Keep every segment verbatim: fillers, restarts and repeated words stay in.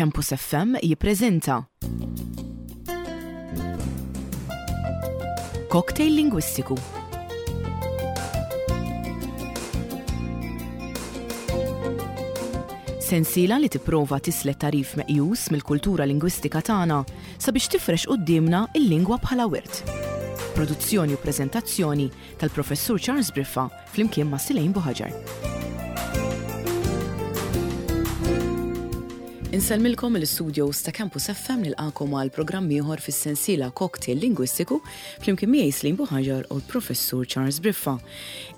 Campus F M jippreżenta Cocktail Lingwistiku. Sensiela li tipprova tislet tagħrif meqjus mill-kultura lingwistika tagħna sabiex tifrex quddiemna il-lingwa bħala wirt. Produzzjoni u preżentazzjoni tal-Professur Charles Briffa flimkien ma' Silejn Buħaġar. Insellmilkom mill-studios ta' Campus F M, nilqakom għal programm ieħor fis-sensiela Cocktail Lingwistiku flimkien miegħi Slim Buħaġar u l-Professur Charles Briffa.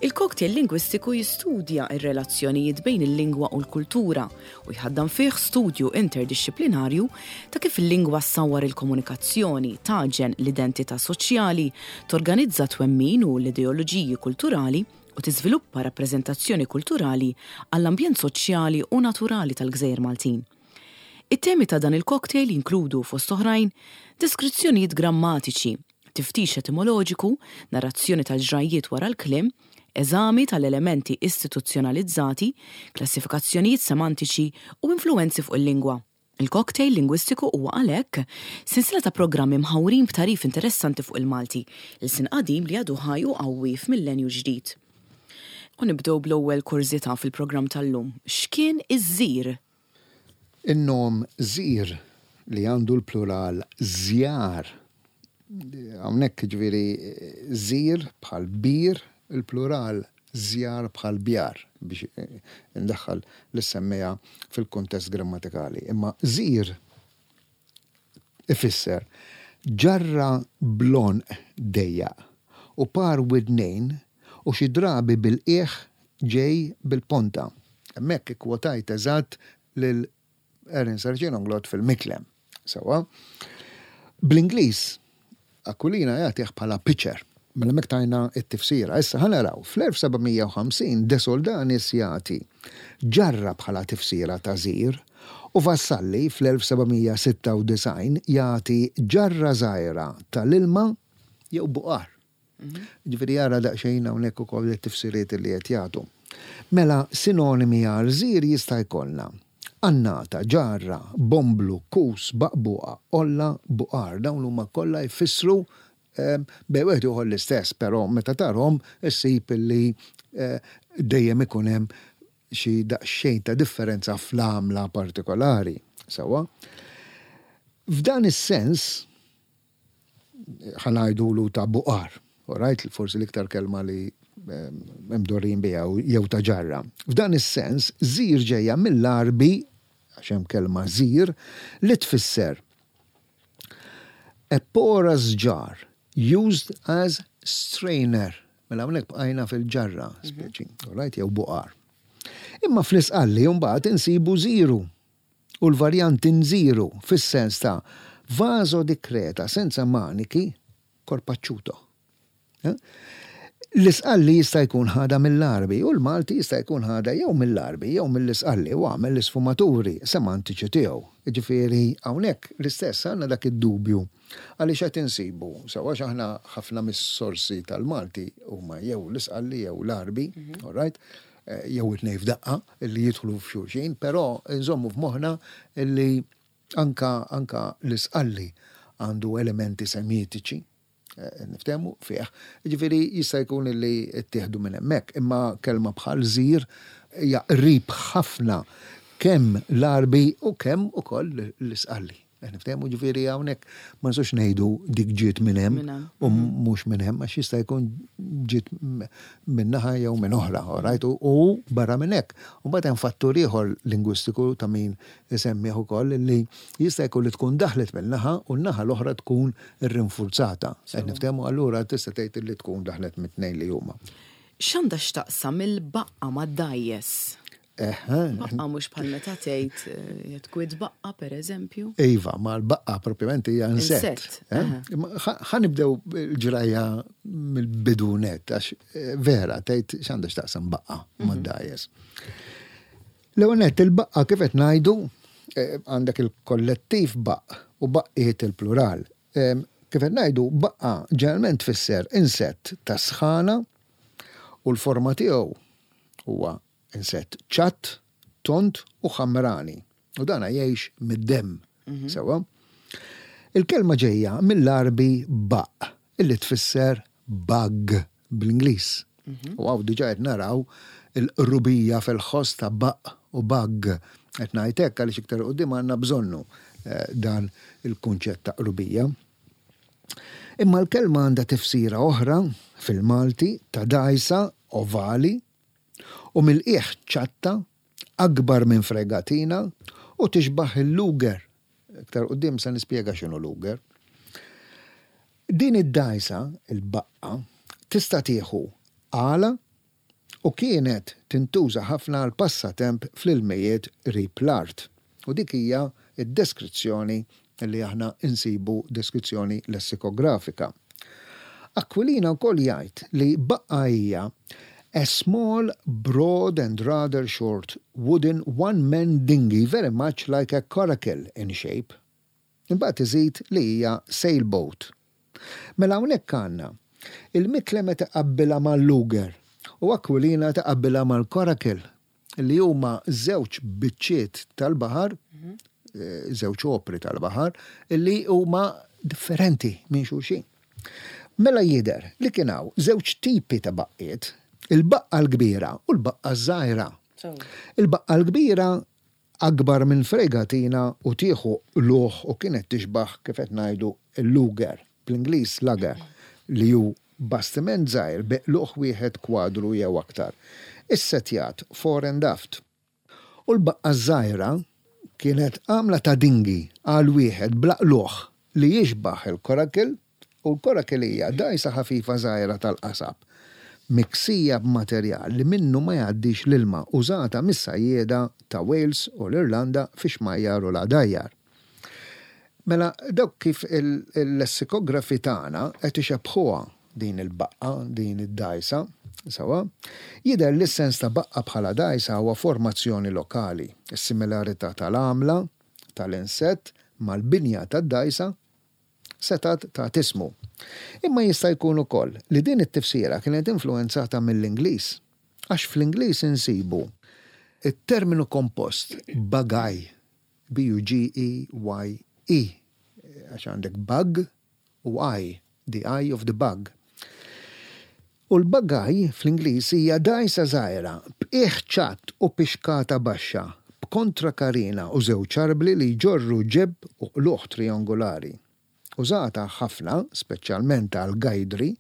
Il-Cocktail Lingwistiku jistudja ir-relazzjonijiet bejn il-lingwa u l-kultura u jħaddan fih studju interdixxiplinarju ta' kif il-lingwa ssawwar il-komunikazzjoni, tagħġen l-identità soċjali, torganizza twemmin u l-ideoloġiji kulturali u tiżviluppa rappreżentazzjoni kulturali għall-ambjent soċjali u naturali tal-Gżejjer Maltin. It-temi ta' dan il-cocktail jinkludu, fost oħrajn, deskrizzjonijiet grammatiċi, tiftix etimoloġiku, narrazzjoni tal-ġrajjiet wara l-kliem, eżami tal-elementi istituzzjonalizzati, klassifikazzjonijiet semantiċi u influenzi fuq il-lingwa. Il-Cocktail Lingwistiku huwa għalhekk sensiela ta' programmi mħawrin b'tagħrif interessanti fuq il-Malti, ilsien qadim li għadu ħaj u qawwi f'millenju ġdid. U nibdew bl-ewwel kurżità fil-programm tal-lum. X'kien iż-żir? In-nom żir, li għandu l-plural żjar, hawnhekk ġifieri żir bħal bir, il-plural żjar bħal bjar, biex indaħħal l-semmija fil-kuntest grammatikali. Imma żir ifisser ġarra b'għonq dejjaq u par widnejn u xi drabi bil-qiegħ ġej bil-ponta. Hemmhekk ikkwotajt eżatt lil Erin Sarcino Glot fil-Miklem. Sewwa. Bl-Ingliż, Aquilina jagħtih bħala pitcher. Mela hemmhekk tajna it-tifsira. Issa ħa naraw, fl-elf seba' mija u ħamsin De Soldanis jagħti ġarra bħala tifsira ta' żir u Vassalli fl-elf seba' mija u sitta u disgħin jagħti ġarra żgħira tal-ilma jew buqar. Ġifieri jara daqsxejn hawnhekk ukoll it-tifsiriet li qed jagħtu. Mela sinonimi għal żir jista' jkollna annata, ġarra, bomblu, kus, baqbuqa, olla, buqar. Dawn huma kollha jfissru bejn wieħed ieħor l-istess, però meta tarhom issib li eh, dejjem ikun hemm xi daqsxejn ta' differenza fl-għamla partikolari. Sewwa. F'dan is-sens ħa ngħidulu ta' buqar, right? Forsi l-iktar kelma li mdorrin biha jew ta' ġarra. F'dan is-sens, żir ġejja mill-Arbi, għax hemm kelma żir, li tfisser a porous jar used as strainer. Mela hawnhekk bqajna fil-ġarra, speċi, right, jew buqar. Imma fl-Isqalli mbagħad insibu żiru u l-varjant nżiru fis-sens ta' vaso di creta senza manichi corpacciuto. Eh? L-Isqalli jista' jkun ħada mill-Arbi u l-Malti jista' jkun ħada jew mill-Arbi jew mill-Isqalli u għamel l-isfumaturi semantiċi tiegħu. Ġifieri hawnhekk l-istess għandna dak id-dubju għaliex qed insibu sewwa aħna ħafna mis-sorsi tal-Malti huma jew l-Isqalli jew l-Arbi, all right? Eh, jew it-tnejn f'daqqa li jidħlu f'xulxin, però nżommu f'moħħna li anka anka l-Isqalli għandu elementi semitiċi eh, niftehmu fih. Ġifieri jista' jkun li ttieħdu minn hemmhekk, imma kelma bħal żir hija qrib ħafna kemm l-Arbi u kemm ukoll l-Isqalli. Eh, Niftehmu ġifieri hawnhekk ma nistgħux ngħidu dik ġiet minn hemm Minn hemm. u mhux minn hemm, għax jista' jkun ġiet minn naħa jew minn oħra, right? U u barra minn hekk. U mbagħad hemm fattur ieħor lingwistiku ta' min isemmih ukoll li jista' jkun li tkun daħlet minn naħa u n-naħa l-oħra tkun irrinfurzata. Qed niftehmu, allura tista' tgħid li tkun daħlet mit-tnejn li huma. X'għandha x'taqsam il-baqqa mad-dgħajjes? Eħe. Baqqa mhux bħal meta tgħid eh, tkwit baqqa, pereżempju. Iva, ma l-baqqa propjament hija insett. Insett, eh? Imma ħa ħa nibdew il-ġrajja mill-bidu net, għax eh, vera, tgħid x'għandha x'taqsam baqqa mad-dgħajjes. L-ewwel nett, il-baqqa, kif qed ngħidu, eh, għandek il-kollettiv baqq u baqqiet il-plural. Eh, Kif qed ngħidu, baqqa ġeneralment tfisser insett ta' sħana u l-forma tiegħu huwa insett ċatt, tond u ħamrani. U dana jgħix mid-demm. Sewwa? Il-kelma ġejja mill-Għarbi baq, illi tfisser bug bl-Ingliż. U hawn diġà qed naraw il-qrubija fil-ħoss ta' baq u bug. Qed ngħid hekk għaliex iktar quddiem għandna bżonnu eh, dan il-kunċett ta' qrubija. Imma l-kelma għandha tifsira oħra fil-Malti ta' dajsa ovali u mill-qiegħ ċatta, akbar minn fregatina u tixbaħ il-luger. Iktar quddiem se nispjega x'inhu luger. Din id-dajsa, il-baqqa, tista' tieħu għala u kienet tintuża ħafna għal passatemp fl-ilmijiet qrib l-art. U dik hija id-deskrizzjoni li aħna insibu, deskrizzjoni lessikografika. Aquilina wkoll jgħid li baqqa hija a small, broad and rather short wooden one-man dinghy, very much like a coracle in shape. Imbagħad iżid li hija sailboat. Mela hawnhekk għandna il-Micklem tqabbilha mal-luger u Aquilina tqabbilha mal-coracle, li huma żewġ biċċiet tal-baħar, eh, żewġ opri tal-baħar, li huma differenti minn xulxin. Mela jidher li kien hawn żewġ tipi ta' baqqiet, il-baqqa l-kbira u l-baqqa żgħira. Il-baqqa l-kbira akbar minn fregatina u tieħu qlugħ u kienet tixbaħ, kif qed ngħidu, il-luger, bl-Ingliż lugger, li hu bastiment żgħir bi qlugħ wieħed kwadru jew aktar, issettjat fore and aft. U l-baqqa żgħira kienet għamla ta' dinghy għal wieħed bla qlugħ li jixbaħ il-coracle, u l-coracle hija dajsa ħafifa żgħira tal-qasab miksija b'materjal li minnu ma jgħaddix l-ilma, użata mis-sajjieda ta' Wales u l-Irlanda fi xmajjar u l-għadajjar. Mela dawk kif il-lessikografi tagħna qed ixebbħuha din il-baqqa, din id-dajsa, sewwa, jidher li s-sens ta' baqqa bħala dajsa huwa formazzjoni lokali, is-similarità tal-għamla tal-insett mal-binja tad-dajsa setat ta' tismu. Imma jista' jkun ukoll li din it-tifsira kienet influenzata mill-Ingliż, għax fl-Ingliż insibu it-terminu kompost bugeye, B U G E Y E, għax għandek bug u eye, the eye of the bug. U l-bugeye fl-Ingliż hija dajsa żgħira b'qiegħ ċatt u pixkata baxxa, b'kontra karina u żewġ arbli li jġorru ġeb u qlugħ triangolari. Użata ħafna, speċjalment għal gajdri,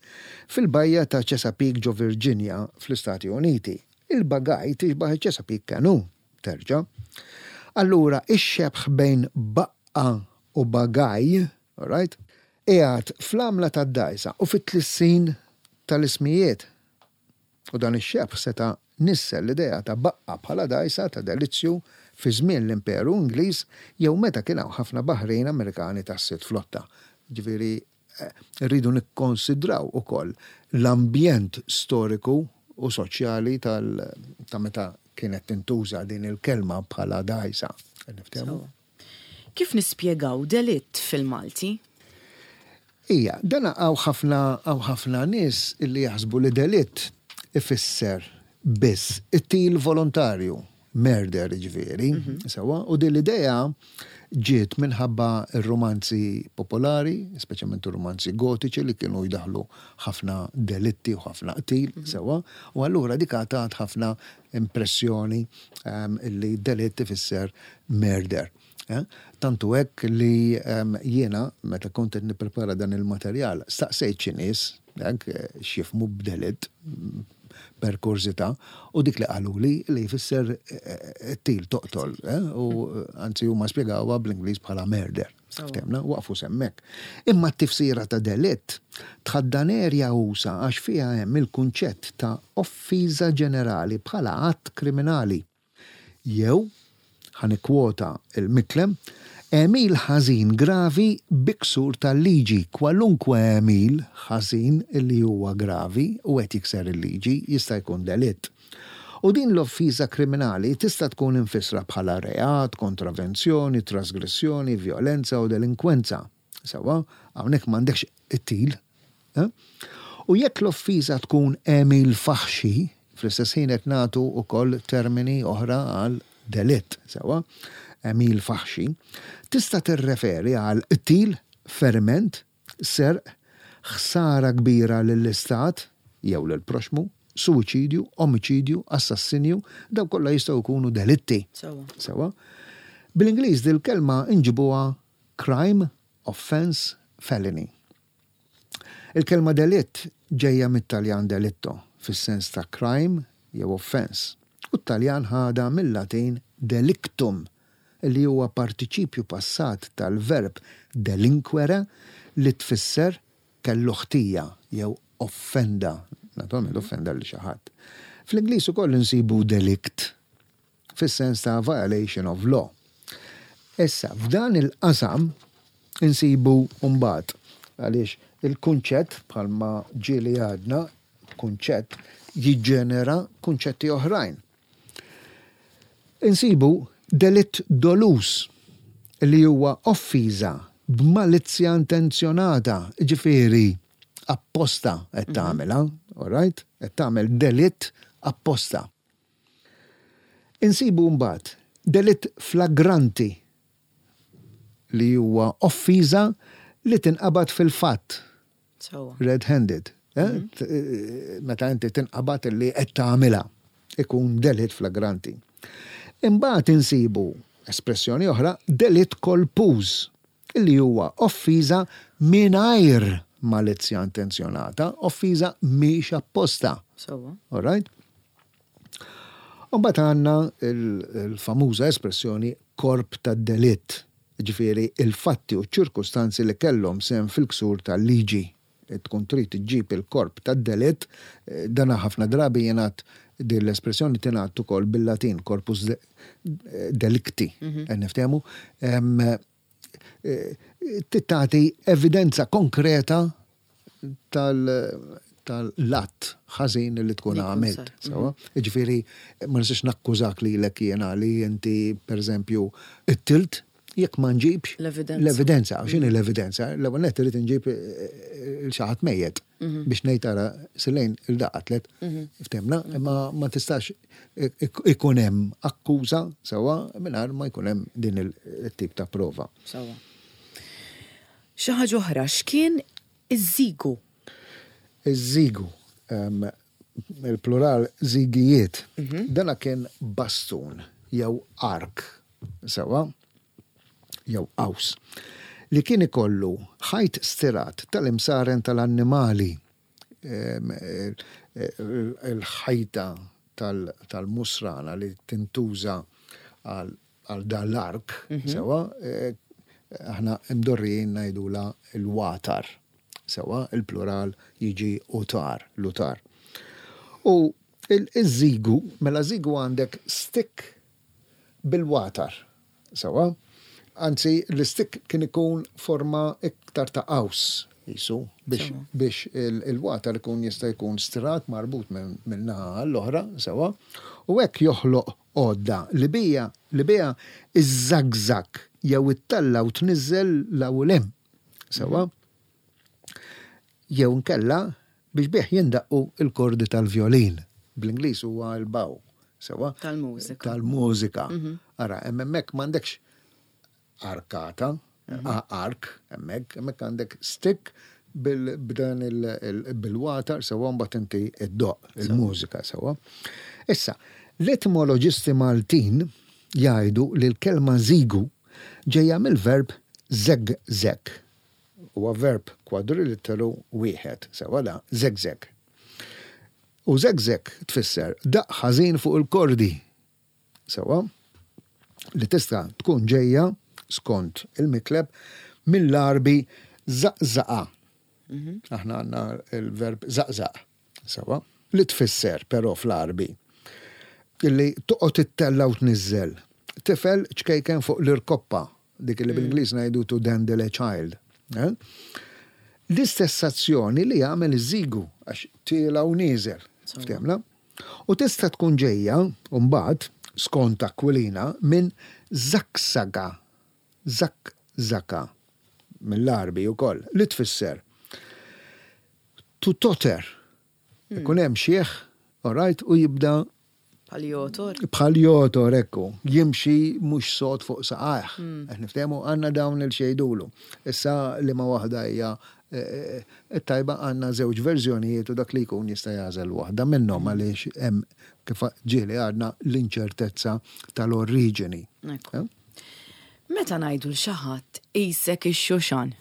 fil-bajja ta' Chesapeake ġo Virginia fl-Istati Uniti. Il-bugeye tixbaħ il-Chesapeake Canoe, terġa'. Allura, ix-xebħ bejn baqqa u bugeye, alright, qiegħed fl-għamla tad-dajsa u fit-tlissin tal-ismijiet. U dan ix-xebħ seta' nissel l-idea ta' baqqa bħala dajsa ta' delizzju fi żmien l-Imperu Ingliż jew meta kien hawn ħafna baħrin Amerikani tas-Sitt Flotta. Ġifieri eh, rridu nikkonsidraw ukoll l-ambjent storiku u soċjali tal ta' meta kienet tintuża din il-kelma bħala dajsa. Niftehmu? Kif nispjegaw delitt fil-Malti? Ija, dan hawn ħafna hawn ħafna nies illi jaħsbu li delitt ifisser biss it-qtil volontarju, murder ġifieri, sewwa, u din l-idea ġiet minħabba r-romanzi popolari, speċjalment ir-romanzi gotiċi li kienu jdaħlu ħafna delitti u ħafna qtil, sewwa, u allura dik tat ħafna impressjoni um, illi delitt ifisser murder. Eh? Tantu hekk li um, jiena meta kont qed nipprepara dan il-materjal staqsejt xi nies hekk x'jifhmu b'delitt mm, per kurżità, u dik li qalu li li jfisser qtil, toqtol, eh? U anzi huma spjegawha bl-Ingliż bħala murder. Ftehmna, waqfu s'hemmhekk. Imma t-tifsira ta' delitt tħaddan erja usa' għax fiha hemm il-kunċett ta' offiża ġenerali bħala att kriminali. Jew, ħa nikkwota il-Micklem, għemil ħażin gravi bi ksur tal-liġi. Kwalunkwe għemil ħażin li huwa gravi u qed jikser il-liġi jista' jkun delitt. U din l-offiża kriminali tista' tkun infisra bħala reat, kontravenzjoni, trasgressjoni, violenza u delinkwenza. Sewwa, hawnhekk m'għandekx it-qtil. Eh? U jekk l-offiża tkun għemil faħxi, fl-istess ħin qed nagħtu wkoll termini oħra għal delitt, sewwa. għemil faħxi, tista' tirreferi għal qtil, ferment, serq, ħsara kbira lill-istat jew lill-proxmu, suwiċidju, omiċidju, assassinju, daw kollha jistgħu jkunu delitti. Sewwa. Sewwa. Bil-Ingliż dil-kelma inġibuha crime, offense, felony. Il-kelma delitt ġejja mit-Taljan delitto, fis-sens ta' crime jew offense. U t-Taljan ħada mill-Latin delictum, li huwa partiċipju passat tal-verb delinquere li tfisser kellu ħtija jew offenda, naturalment offenda li xi ħadd. Fl-Ingliż ukoll insibu delict fis-sens ta' violation of law. Issa, f'dan il-qasam insibu mbagħad għaliex il-kunċett bħalma ġieli għadna, kunċett jiġġenera kunċetti oħrajn. Insibu delitt doluż li huwa offiża b'malizzja intenzjonata, ġifieri apposta qed tagħmilha, all right? Qed tagħmel delitt apposta. Insibu mbagħad delitt flagranti li huwa offiża li tinqabad fil-fatt, Sewwa. red-handed. Eh? T- eh, Meta inti tinqabad li qed tagħmilha, ikun delitt flagranti. Imbagħad insibu espressjoni oħra, delitt kolpuż, li huwa offiża mingħajr malizzja intenzjonata, offiża mhix apposta. Sewwa. All right? Imbagħad għandna il-famuża espressjoni korp ta' delitt, ġifieri il-fatti u ċirkustanzi li kellhom sehem fil-ksur tal-liġi. Tkun trid iġġib il-korp ta' delitt, eh, dana ħafna drabi jingħad din l-espressjoni tingħad ukoll bil-Latin corpus de- delicti, mm niftehmu, em, eh, tagħti evidenza konkreta tal- tal-att ħażin li tkun Li jkun għamilt. sar. Sewwa? Ġifieri, ma nistax nakkużak li lek jiena li inti, per eżempju, qtilt, jekk ma nġibx L-evidenza. L-evidenza, x'inhi l-evidenza? L-ewwel nett irid inġib eh, il xi ħadd mejjet biex ngħid ara Selene il-da qatlet. Ftehmna, imma ma tistax ikun hemm akkuża sewwa mingħajr ma jkun hemm din il-tip ta' prova. Sewwa. Xi ħaġa oħra, x'kien iż-żigu? Iż-żigu, em, il-plural żigijiet, dana kien bastun jew ark, sewwa, jew qaws, li kien ikollu ħajt stirat tal-imsaren tal-annimali, em, il- il-ħajta tal- tal-musrana li tintuża għal għal dan l-ark, sewwa, eh, aħna imdorrijin ngħidula il-watar, sewwa, il-plural jiġi utar, l-utar. U il-żigu, mela żigu għandek stick bil-watar, sewwa, anzi l-stick kien ikun forma iktar ta' qaws, jisu, biex, Sewwa. biex il- il-watar ikun jista' jkun stirat marbut minn minn naħa l-oħra, sewwa, u hekk joħloq għodda li bija li bija iż-żagżag jew ittella u tniżżel 'l hemm. Sewwa? Jew nkella biex bih jindaqqu il-kordi tal-violin. Bl-Ingliż huwa l-bow. Sewwa? Tal-mużika. Tal-mużika. Ara, hemmhekk m'għandekx arkata, a- ark, hemmhekk, hemmhekk għandek stick bil- b'dan il- il- bil-watar, sewwa mbagħad inti iddoqq il-mużika sewwa. Issa, l-etimoloġisti Maltin jgħidu li l-kelma żigu ġejja mill-verb zegzeg. Huwa verb kwadriliteru wieħed, sewwa da, zegzeg. U zegzeg tfisser daqq ħażin fuq il-kordi. Sewwa, li tista' tkun ġejja skont il-Mikleb mill-Għarbi zaqzaqa. Aħna għandna il-verb zaqzaq, sewwa, li tfisser però fl-Għarbi illi toqgħod ittella u tniżżel. Tifel ċkejken fuq l-irkoppa, dik li bil-Ingliż ngħidu to dandle a child. eh? L-istess azzjoni li jagħmel iż-żigu għax tiela u nieżel. Ftehmna? U tista' tkun ġejja mbagħad skont Aquilina minn zaksaga. Zakzaka mill-Għarbi wkoll li tfisser to totter. Ikun hemm xiħ, all right, u jibda Bħal jotor. Bħal jotor, ekku. Jimxi mhux sod fuq saqajh. Qed niftehmu, għandna dawn il-xejdulu. Issa li ma waħda hija eh, it-tajba, għandna żewġ verżjonijiet u dak li jkun jista' jagħżel waħda minnhom għaliex hemm, kif ġieli għadna, l-inċertezza tal-oriġini. Ekku. Meta ngħidu lil xi ħadd "qisek ix-xuxan"?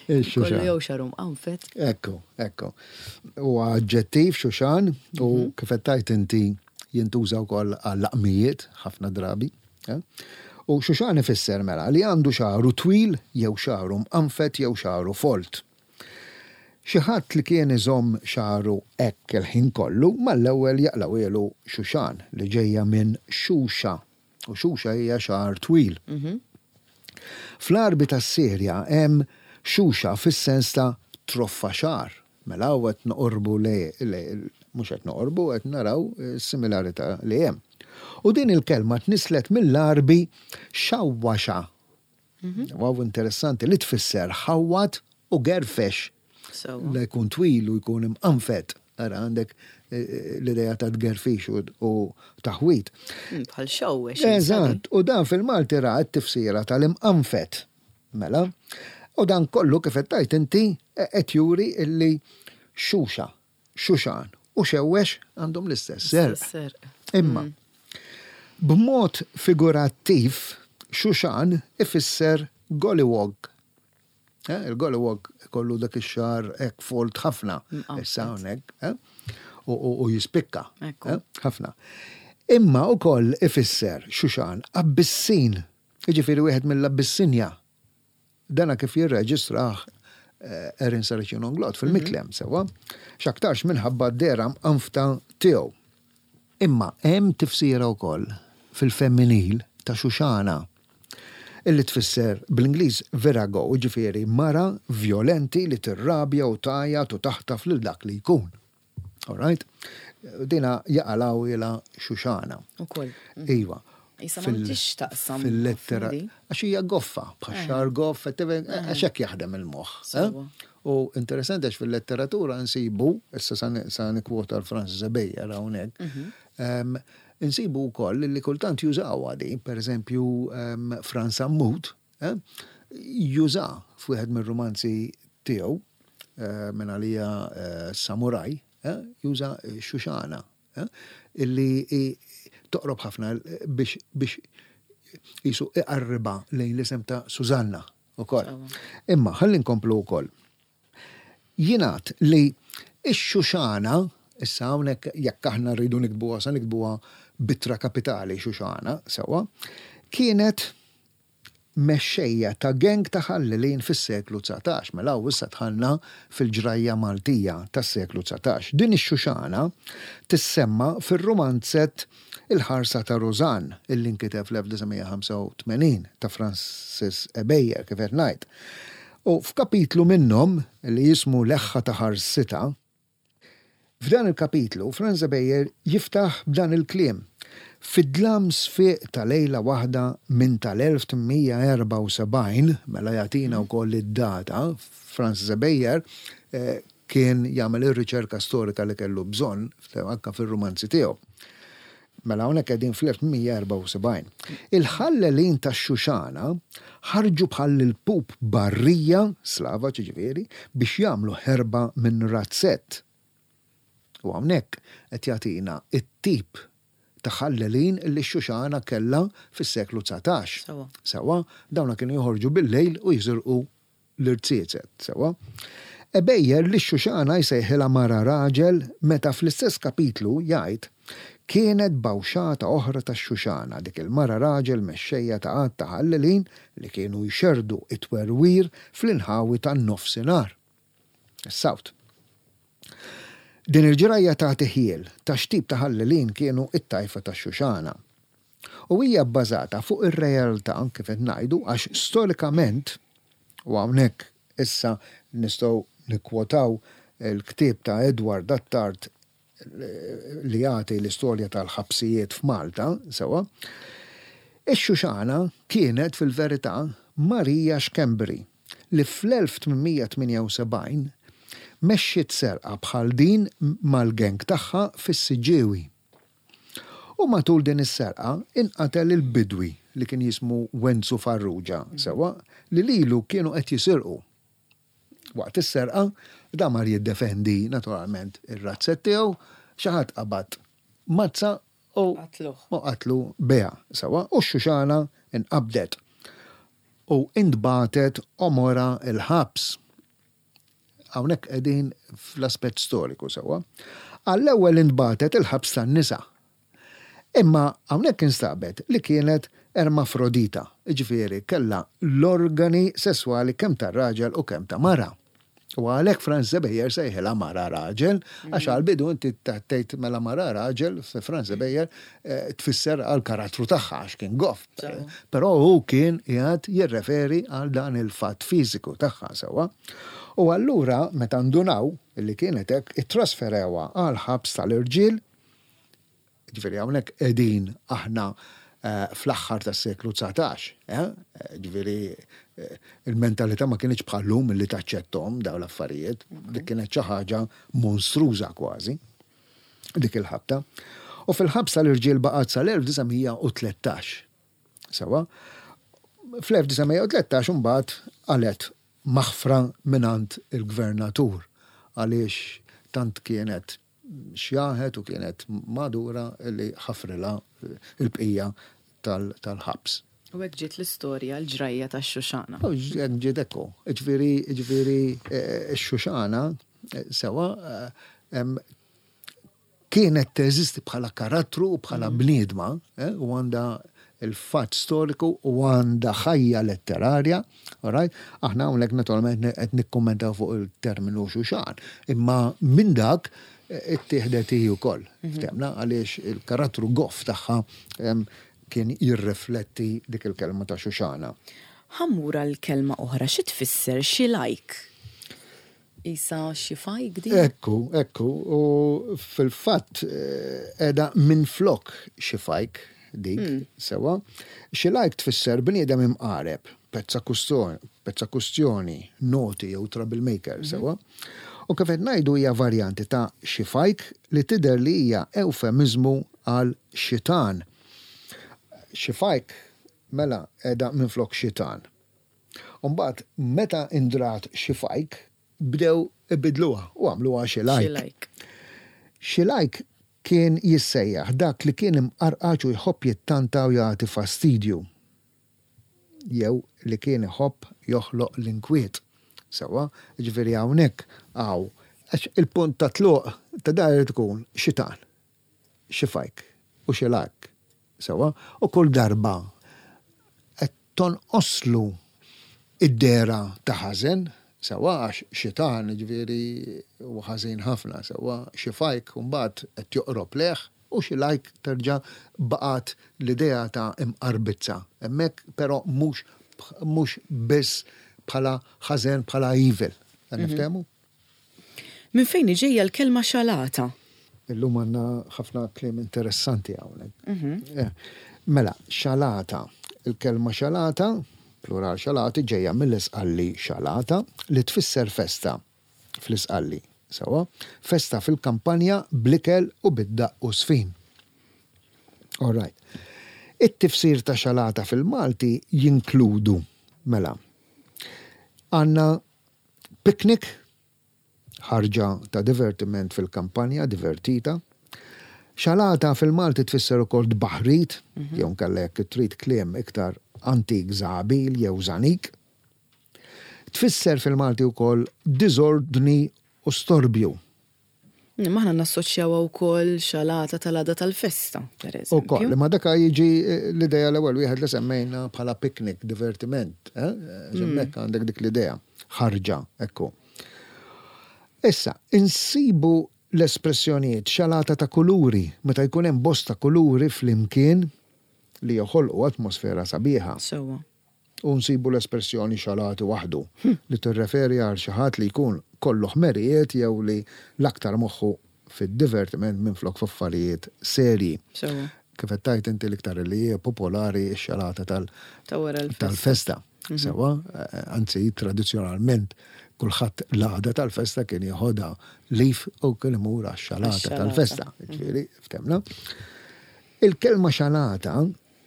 Ix-xuxan. Kollu jew xagħru mqanfed. Ekku, ekku. U aġġettiv xuxan u kif qed tgħid inti jintuża wkoll għal-laqmijiet ħafna drabi. eh? U xuxan ifisser mela li għandu xagħru twil jew xagħru mqanfed jew xagħru folt. Xi ħadd li kien iżomm xagħru hekk il-ħin kollu mal-ewwel jaqlawhielu xuxan, li ġejja minn xuxa. U xuxa hija xagħar twil. Fl-Għarbi tas-Sirja hemm xuxa fis-sens ta' troffa xagħar. Mela u qed noqorbu le, le mhux qed noqorbu, qed naraw similarità li hemm. U din il-kelma tnislet mill-Għarbi xawwaxa. Waw, interessanti, li tfisser ħawwat u gerfex. Sewwa. La jkun twil u jkun imqanfet. Ara għandek eh, l-ideja ta' tgerfix u, u taħwit. Mm, Bħal xewwex. Eżatt, u dan fil-Malti ra t-tifsira tal-imqanfet. Mela, u dan kollu, kif qed tgħid inti, qed juri illi xuxa, xuxan u xewwex għandhom l-istess serq. Serq. Imma, b'mod figurattiv, xuxan ifisser gollywog. Eh, Il-gollywog kollu dak ix-xagħar hekk folt ħafna. Mqanfed. Issa hawnhekk, eh? U, u, u jispikka. Ekku. eh, ħafna. Imma ukoll ifisser xuxan abbissin. Jiġifieri wieħed mill-Abbissinja. Dana kif jirreġistrah eh, Erin Saracino Inglott fil-Miklem, sewwa, x'aktarx minħabba d-dehra mqanfta tiegħu. Imma hemm tifsira wkoll fil-femminil ta' xuxana, illi tfisser bl-Ingliż virago, ġifieri mara violenti li tirrabja u tgħajjat u taħtaf lil dak li jkun. All right? Dina jaqalawhielha xuxana. Ukoll. Iva. Isa Fil- m'għandix taqsam Fil-lettera. ħafna di. Għax hija goffa, bħax-xagħar goff, għax hekk jaħdem il-moħħ. eh? Sewwa. U interessanti għax fil-letteratura nsibu, issa sa nikwota l-Francis Ebejer hawnhekk, em, insibu wkoll li kultant jużaw di, per eżempju em, Frans Sammut, eh, juża f'wieħed mir-romanzi tiegħu, eh, minn għalija eh, Samuraj, eh, juża xuxana, eh, illi i- toqrob ħafna biex biex jisu iqarriba lejn l-isem ta' Susanna ukoll. Imma ħalli nkomplu wkoll. Jingħad li ix-xuxana, issa hawnhekk jekk aħna rridu nikbuha sa nikbuha b'ittra kapitali xuxana, sewwa, kienet mexxejja ta' geng ta' ħallelin fis-seklu dsatax, mela u issa dħalna fil-ġrajja Maltija tas-seklu dsatax. Din ix-xuxana tissemma fir-romanzett Il-Ħarsa ta' Rosanne, illi nkiteb fl-elf disa' mija ħamsa u tmenin ta' Francis Ebejer, kif qed ngħid. U f'kapitlu minnhom li jismu Leħħa ta' Ħarsita, f'dan il-kapitlu Franz Ebejer jiftaħ b'dan il-kliem: "Fid-dlam sfiq ta' lejla waħda minn tal-elf tmien mija erbgħa u sebgħin", mela jagħtina wkoll id-data, Francis Ebejer eh, kien jagħmel ir-riċerka storika li kellu bżonn anka fir-romanzi tiegħu. Mela hawnhekk qegħdin fl-elf tmien mija erbgħa u sebgħin. "Il-ħallelin tax-Xuxana ħarġu bħal il-pup barrija, slava ġifieri, biex jagħmlu ħerba minn razzett." U hawnhekk qed jagħtina it-tip ta' ħallelin li x-Xuxana kellha fis-seklu dsatax. Sewwa. Sewwa, dawna kienu joħorġu bil-lejl u jisirqu l-irziezet, sewwa. Ebejer li x-Xuxana jsejħilha mara raġel meta fl-istess kapitlu jgħid: "Kienet bawxata oħra tax-Xuxana dik il-mara raġel, mexxejja ta' għadd ta' ħallelin li kienu jxerdu it-twerwir fl-inħawi tan-nofsinhar." Is-South. Din il-ġrajja tagħti ħjiel ta' x'tip ta' ħallelin kienu it-tajfa tax-Xuxana. U hija bbażata fuq ir-realtà, kif qed ngħidu, għax storikament, u hawnhekk issa nistgħu nikkwotaw il-ktieb ta' Edward Attard li jagħti l-istorja tal-ħabsijiet f'Malta, sewwa, ix-Xuxana kienet fil-verità Marija Schembri, li fl-elf tmien mija tmienja u sebgħin mexxiet serqa bħal din mal-geng tagħha fis-Siġġiewi. U matul din is-serqa inqatel il-bidwi li kien jismu Wenzu Farrugia, sewwa, li lilu kienu qed jisirqu. Waqt is-serqa, da mar jiddefendi naturalment ir-razzett tiegħu, xi ħadd qabad mazza u Qatluh. u qatlu beha, sewwa, u x-xuxana inqabdet u intbagħtet għomorha il-ħabs. Hawnhekk qegħdin fl-aspett storiku sewwa. Għall-ewwel intbagħtet il-ħabs tan-nisa. Imma hawnhekk instabet li kienet ermafrodita, ġifieri kellha l-organi sesswali kemm tar-raġel u kemm ta' mara. U għalhekk Franz Beyer sejħilha mara raġel, għax għal-bidu inti tgħid mela mara raġel, Franz Beyer eh, tfisser għal karattru tagħha għax kien goff. Però hu kien qiegħed jirreferi għal dan il-fatt fiżiku tagħha sewwa. U allura meta ndunaw li kienet hekk ittrasferewha għal ħabs tal-irġiel. Ġifieri hawnhekk qegħdin aħna eh, fl-aħħar tas-seklu dsatax, eh? Ġifieri eh, il-mentalità ma kienx bħal-lum li taċċettahom dawn l-affarijiet, dik kienet xi ħaġa monstruża kważi dik il-ħabta. U fil-ħabs tal-irġiel baqgħet sal-elf disa' mija u tlettax. Sewwa, fl-elf disa' mija u tlettax imbagħad qalgħet maħfra mingħand il-gvernatur għaliex tant kienet xjaħet u kienet madura li ħafrilha il-bqija tal-ħabs. U hekk ġiet l-istorja, l-ġrajja tax-xuxana. U hekk ġiet ekku. Ġifieri, ġifieri, eh, x-xuxana, eh, sewwa, eh, em, kienet teżisti bħala karattru u bħala bniedma, eh, u għandha il-fatt storiku u għandha ħajja letterarja, alright? Aħna hawnhekk naturalment qed nikkummentaw fuq il-terminu xuxan, imma minn dak eh, ittieħdet hi wkoll. Ftehmna għaliex il-karattru goff tagħha em, kien jirrifletti dik il-kelma ta' xuxana. Ħa mmur għal kelma oħra, xi tfisser xi like? Isa xi fajk din? Ekku, ekku, u fil-fatt eh, edha minn flok xi fajk dik, sewwa. Xi like tfisser bniedem imqareb, pezza kustjoni, pezza kustjoni, naughty jew troublemaker, sewwa. U kif qed ngħidu hija varjanti ta' xi fajk li tidher li hija eufemizmu għal xitan. Xi fajk mela edha minn flok xitan. Umbagħad meta indrat xi fajk bdew ibidluha u għamluha xi Xi like. like. Xi like kien jissejjaħ dak li kien imqarqaċ u jħobb jittanta u jagħti fastidju. Jew li kien iħobb joħloq l-inkwiet. Sewwa, ġifieri hawnhekk hawn għax il-punt ta' tluq ta' dar irid tkun xitan, xi fajk u xi like. Sewwa, u kull darba qed tonqoslu id-dehra ta' ħażen, sewwa għax xitan ġifieri u ħażin ħafna, sewwa xi fajk mbagħad qed joqrob lejh u xi like terġa' baqgħet l-idea ta' imqarbizza. Hemmhekk però mhux mhux biss bħala ħażen bħala evil. Qed niftehmu? Minn fejn ġejja l-kelma xalata? Illum għandna ħafna kliem interessanti hawnhekk. Eh, Mela, xalata. Il-kelma xalata, plural xalati, ġejja mill-Isqalli xalata li tfisser festa fl-Isqalli. Sewwa, festa fil-kampanja bl-ikel u bid-daqq u żfin. All right. It-tifsir ta' xalata fil-Malti jinkludu, mela, għandna picnic, ħarġa ta' divertiment fil-kampanja, divertita. Xalata fil-Malti tfisser ukoll tbaħrit, jew nkella jekk trid kliem iktar antik żabil jew żanik. Tfisser fil-Malti wkoll diżordni u storbju. Aħna nassoċjaw wkoll xalata tal-għada tal-festa, per eżempju. Ukoll, ma daka jiġi eh, l-idea l-ewwel wieħed li semmejna bħala picnic, divertiment, eh? Hemmhekk għandek dik l-idea, ħarġa, ekku. Issa, insibu l-espressjonijiet xalata ta' kuluri, meta jkun hemm bosta kuluri flimkien li joħolqu atmosfera sabiħa. Sewwa. U nsibu l-espressjoni xalati waħdu li tirreferi għal xi ħadd li jkun kollu ħmerijiet jew li l-aktar moħħu fid-divertiment minn flok f'affarijiet serji. Sewwa. Kif qed tgħid inti l-iktar li hija popolari x-xalata tal- Ta' wara l-festa. tal-festa. Sewwa, eh, anzi tradizzjonalment kulħadd l-għada tal-festa kien jeħodha leave u kien imur għax-xalata Għax-xalata. tal-festa. Ġifieri, ftehmna. Il-kelma xalata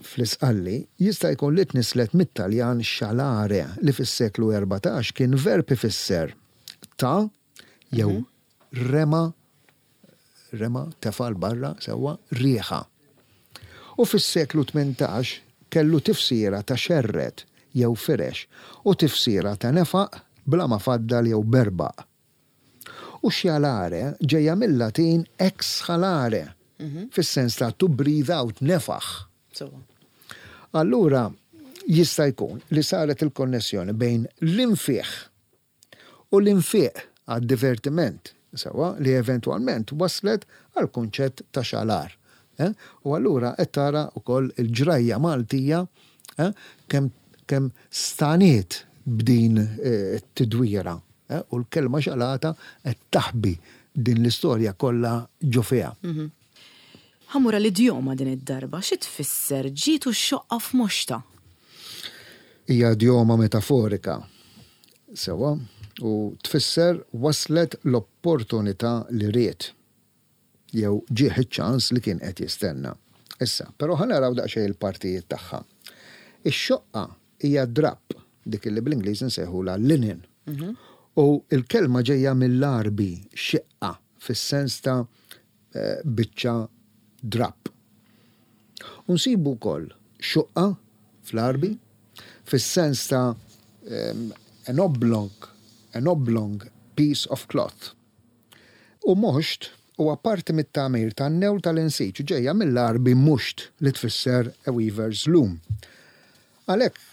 fl-Isqalli jista' jkun li tnislet mit-Taljan scialare, li fis-seklu erbatax kien verb ifisser ta' jew rema, rema, tefa' 'l barra, sewwa, riħa. U fis-seklu tmintax kellu tifsira ta' xerred jew firex u tifsira ta' nefaq bla ma faddal jew berbaq. U xjalare ġejja mill-Latin exhalare, fis-sens ta' to breathe out, nefaħ. Sewwa. Allura jista' jkun li saret il-konnessjoni bejn l-infiħ u l-infiq għad-divertiment, sewwa, li eventwalment waslet għal kunċett ta' xalar. Eh? U allura qed tara wkoll il-ġrajja Maltija eh? kemm kemm staniet b'din eh, t-tidwira eh? U l-kelma xalata qed taħbi din l-istorja kollha ġo fiha. Ħa mmur l-idjoma din id-darba, xi tfisser "ġietu x-xoqqa f'moxtha"? Hija idjoma metaforika. Sewwa, u tfisser waslet l-opportunità li ried jew ġieħ iċ-ċans li kien qed jistenna. Issa, però ħa naraw daqsxejn il-partijiet tagħha. Ix-xoqqa hija drapp, dik li bl-Ingliż nsejħula linen. U il-kelma ġejja mill-Arbi xiqqa, fis-sens ta' eh, biċċa drapp. U nsibu wkoll xuqqa fl-Arbi fis-sens ta' um, an oblong, an oblong piece of cloth. U moxt huwa parti mit-tagħmir tan-newl tal-insiġ, ġejja mill-Arbi musht, li tfisser a weaver's loom. Għalhekk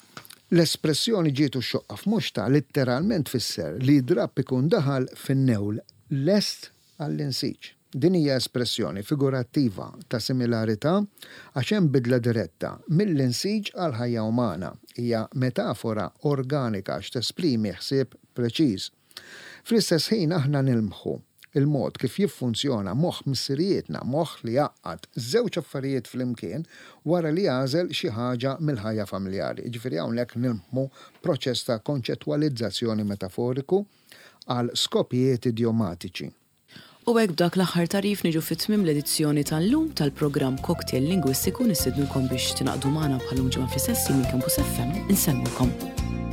l-espressjoni "ġietu xoqqa f'moxtha" letteralment tfisser li drapp ikun daħal fin-newl lest għall-insiġ. Din hija espressjoni figurattiva ta' similarità għax hemm bidla diretta mill-insiġ għal ħajja umana. Hija metafora organika għax tesprimi ħsieb preċiż. Fl-istess ħin aħna nilmħu il-mod kif jiffunzjona moħħ missirijietna, moħħ li jgħaqqad żewġ affarijiet flimkien wara li jagħżel xi ħaġa mill-ħajja familjari. Ġifieri hawnhekk nilmħu proċess ta' konċettwalizzazzjoni metaforiku għal skopijiet idiomatiċi. U hekk, b'dak l-aħħar tagħrif, niġu fi tmiem l-edizzjoni tal-lum tal-programm Cocktail Lingwistiku. Nistednukom biex tingħaqdu magħna bħal ġimgħa fl-istess minn Campus F M. Insellmulkom.